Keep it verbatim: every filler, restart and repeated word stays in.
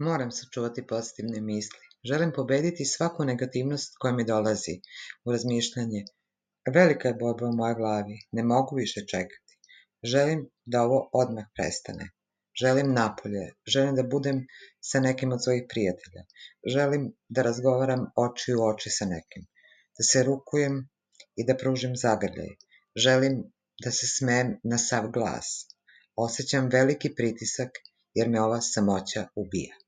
Moram sačuvati pozitivne misli. Želim pobediti svaku negativnost koja mi dolazi u razmišljanje. Velika je borba u mojoj glavi. Ne mogu više čekati. Želim da ovo odmah prestane. Želim napolje. Želim da budem sa nekim od svojih prijatelja. Želim da razgovaram oči u oči sa nekim. Da se rukujem i da pružim zagrljaj. Želim da se smejem na sav glas. Osjećam veliki pritisak jer me ova samoća ubija.